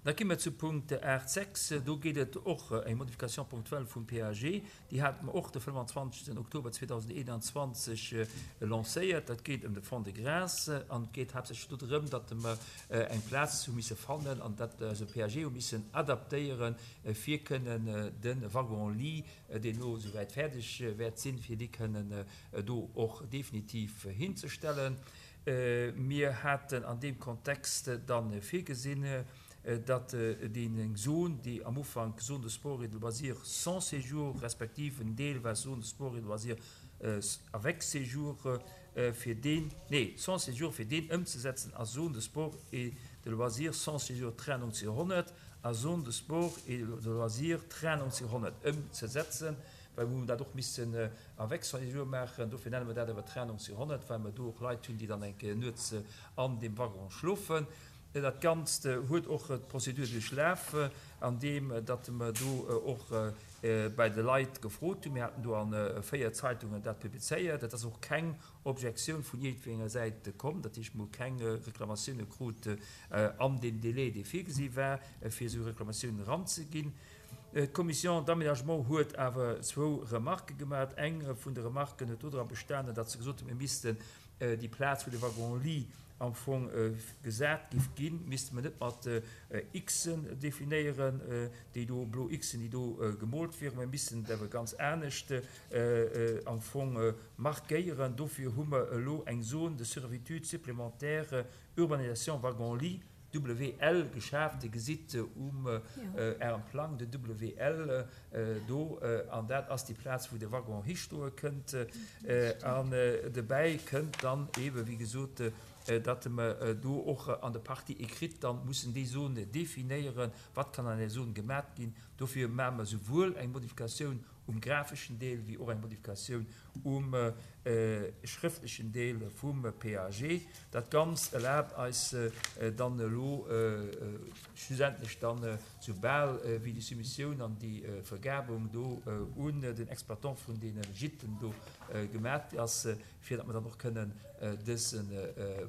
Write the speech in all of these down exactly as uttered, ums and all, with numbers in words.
Da gi mer zu Punkt aacht sechs. Do geet et och eng Modification ponctuelle vum P A G. Déi hate mer och de fënnwanzwanzegsten Oktober zweedausendeenanzwanzeg lancéiert. Dat geet ëm de Fonds de Grâce an et geet haaptsächlech do drëm, datt mer eng Plaz hu misse fannen an dat eise P A G hu missen adaptéieren, fir kënnen de Wagon-lit, deen elo souwäit fäerdeg wäert sinn, fir dee kënnen do och definitiv hinzestellen. Mir haten an deem Kontext da virgesinn, datt déi Zon, déi am Ufank Zone de sport et de loisirs sans séjour, respektiv en Deel war Zone de sport et de loisirs avec séjour, fir deen, nee, sans séjour, fir deen ëmzesetzen a Zone de sport et de loisirs sans séjour train neunzehnhundert a Zone de sport et de loisirs train neunzehnhundert ëmzesetzen, well mir hunn dat och missen avec séjour maachen. Dofir nenne mer dat awer Train neunzehnhundert, well mer do och Leit hunn, déi dann eng Kéier nuets an deem Waggon schlofen. Dat Ganzt huet och d'Prozedur duerchlaf, andeem datt mer do och bei de Leit gefrot hunn. Mir haten do a véier Zeitungen dat publizéiert. Et ass och keng Objektioun vun iergendwenger Säit komm, dat heescht, mir hu keng Reklamatioune krut an deem Délai, dee virgesi war, fir esou Reklamatiounen eranzeginn. D'Commission d'aménagement huet awer zwou Remarquë gemaach. Eng vun de Remarquen huet dodra bestanen, datt se gesot hunn, mir missten déi Plaz, wou de Wagon-lit am Fong gesat giff ginn, misste mer net mat Xen definéieren, déi do blo Xen, déi do gemoolt wieren, mä missten et awer ganz anescht am Fong markéieren. Dofir hu mer elo eng Zone de servitude supplémentaire urbanisation wagon-lit, W L, geschaaft. Dir gesitt um Ärem Plang den W L do, an dat ass déi Plaz, wou de Waggon histoe kënnt. An dobäi kënnt dann eebe wéi gesot, datt mer do och an der Partie écrite dann mussen déi Zone definéieren, wat kann an där Zone gemat ginn. Dofir maache mer souwuel eng Modifikatioun um grafeschen Deel wéi och eng Modifikatioun um schrëftlechen Deel vum P A G. Dat Ganzt erlaabt eis dann elo schlussendlech dann, soubal wéi déi Soumissioun an déi Vergabung do un den Exploitant vun deene Gîten do gemat ass, fir datt mer dann och kënnen dëse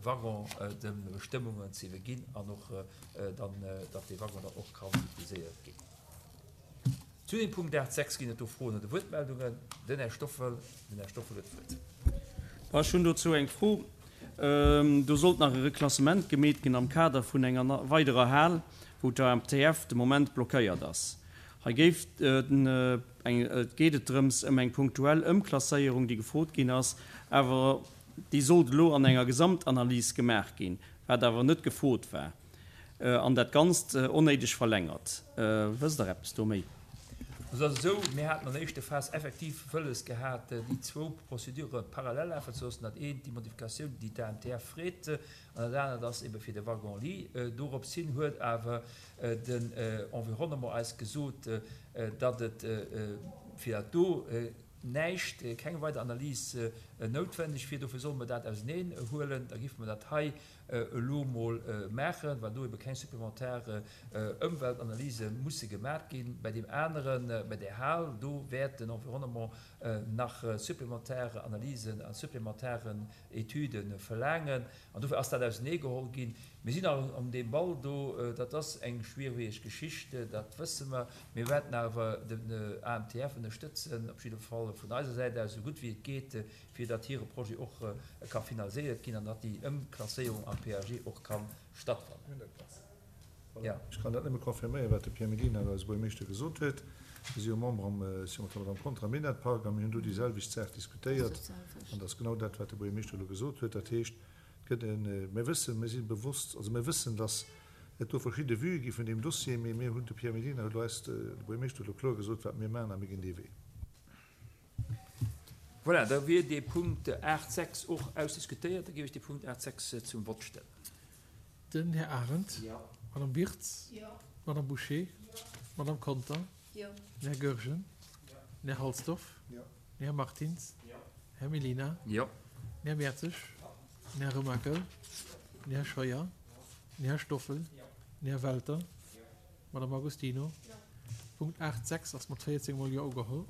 Waggon de Bestëmmungen ze iwwerginn an och dann, datt dee Waggon dann och kann utiliséiert ginn. Zu dem Punkt aacht sechs ginn et do Froen oder Wuertmeldungen? Den Här Stoffel, den Här Stoffel huet d'Wuert. Ech hunn dozou eng Fro. Do sollt nach e Reklassement gemeet ginn am Kader vun enger weiderer Hal, wou d'A M T F de Moment blockéiert ass. Hei géif eng, et geet et drëms ëm eng punktuell Ëmklasséierung, déi gefrot ginn ass, awer déi sollt elo an enger Gesamtanalys gemaach ginn, wat awer net gefrot war an dat Ganzt onnéideg verlängert. Wësst Der eppes do méi? Et ass esou, mir haten an der éischter Phas effektiv wëlles gehat, déi zwou Procédure parallel lafen ze loossen. Dat eent, déi Modifikatioun, déi d'A M T F freet, an dat anert ass ebe fir de Wagon-lit. Doropshin huet awer den Environnement eis gesot, datt et fir dat do näischt, keng weider Analys noutwendeg wier. Dofir solle mer dat auseneen huelen. Da géife mer dat hei elo mol maachen, well do ebe keng supplementar Ëmweltanalyse musse gemaat ginn. Bei deem aneren, bei där Hal, do wäert den Environnement nach supplementar Analysen a supplementaren Etüde verlaangen. An dofir ass dat auseneegeholl ginn. Mir sinn nach an deem Ball do. Dat ass eng schwiereg Geschicht, dat wësse mer. Mir wäerten awer den A M T F ënnerstëtzen, op jidde Fall vun eiser Säit aus, esou gutt wéi et geet, fir datt hire Projet och ka finaliséiert ginn an datt déi Ëmklasséierung am P A G och ka stattfannen. Ja. Ech kann dat nëmme confirméieren, wat de Pierre Mellina, eise Buergermeeschter, gesot huet. Mir si jo Member am, si mat der Madame Conter am Minett-Park a mir hunn do déi selwecht Saach diskutéiert. An dat ass genau dat, wat de Buergermeeschter elo gesot huet. Dat heescht, et gëtt en, mir wëssen, mir si bewosst, also mir wëssen, datt et do verschidde Vuë gi vun deem Dossier, mee mir hunn, de Pierre Mellina huet elo eis, de Buergermeeschter huet elo kloer gesot, wat mir maachen a mir ginn dee Wee. Voilà, da wier dee Punkt aacht sechs och ausdiskutéiert. Da géif ech dee Punkt aacht sechs zum Vott stellen. Den Här Arendt. Jo. Madame Birtz. Jo. Madame Bouché. Jo. Madame Conter. Jo. Den Här Goergen. Jo. Den Här Halsdorf. Jo. Den Här Martins. Jo. Här Mellina. Jo. Den Här Mertzig. Den Här Remakel. Den Här Scheuer. Den Här Stoffel. Jo. Den Här Welter. Madame Agostino. Jo. Punkt aacht sechs ass mat véierzéng Mol Jo ugeholl.